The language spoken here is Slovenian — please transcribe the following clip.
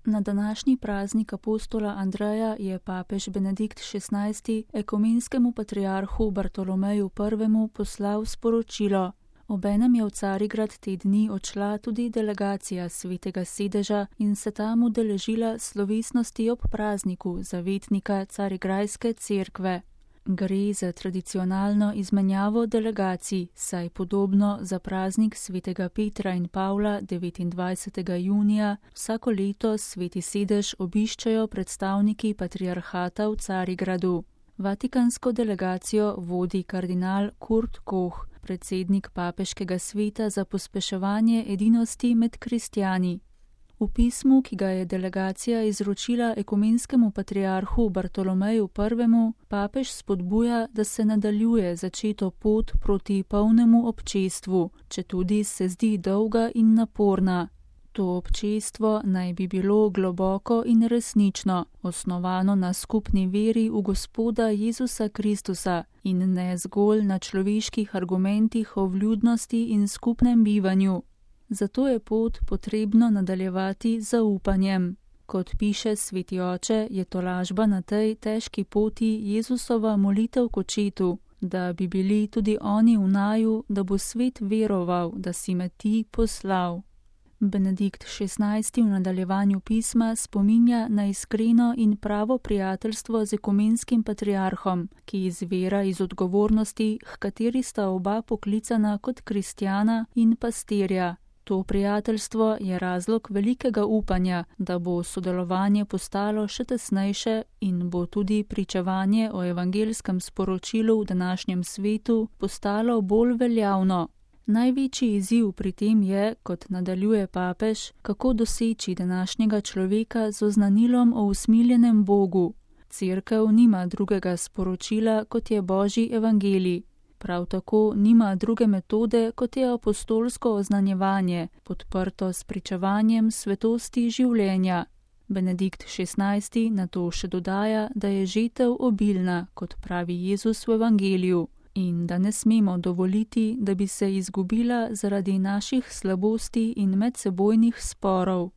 Na današnji praznik apostola Andreja je papež Benedikt XVI. Ekumenskemu patriarhu Bartolomeju I. poslal sporočilo. Obenem je v Carigrad te dni odšla tudi delegacija Svetega sedeža in se tam udeležila slovesnosti ob prazniku zavetnika Carigrajske cerkve. Gre za tradicionalno izmenjavo delegacij, saj podobno za praznik svetega Petra in Pavla 29. junija vsako leto Sveti sedež obiščajo predstavniki patriarhata v Carigradu. Vatikansko delegacijo vodi kardinal Kurt Koch, predsednik papeškega sveta za pospeševanje edinosti med kristjani. V pismu, ki ga je delegacija izročila ekumenskemu patriarhu Bartolomeju I., papež spodbuja, da se nadaljuje začeto pot proti polnemu občestvu, četudi se zdi dolga in naporna. To občestvo naj bi bilo globoko in resnično, osnovano na skupni veri v Gospoda Jezusa Kristusa in ne zgolj na človeških argumentih o vljudnosti in skupnem bivanju. Zato je pot potrebno nadaljevati z zaupanjem. Kot piše sveti oče, je tolažba na tej težki poti Jezusova molitev k očetu, da bi bili tudi oni v naju, da bo svet veroval, da si me ti poslal. Benedikt XVI. V nadaljevanju pisma spominja na iskreno in pravo prijateljstvo z ekumenskim patriarhom, ki izvira iz odgovornosti, h kateri sta oba poklicana kot kristjana in pastirja. To prijateljstvo je razlog velikega upanja, da bo sodelovanje postalo še tesnejše in bo tudi pričevanje o evangelskem sporočilu v današnjem svetu postalo bolj veljavno. Največji izziv pri tem je, kot nadaljuje papež, kako doseči današnjega človeka z oznanilom o usmiljenem Bogu. Cerkev nima drugega sporočila, kot je Božji evangelij. Prav tako nima druge metode, kot je apostolsko oznanjevanje, podprto s pričevanjem svetosti življenja. Benedikt XVI. Na to še dodaja, da je žetev obilna, kot pravi Jezus v evangeliju, in da ne smemo dovoliti, da bi se izgubila zaradi naših slabosti in medsebojnih sporov.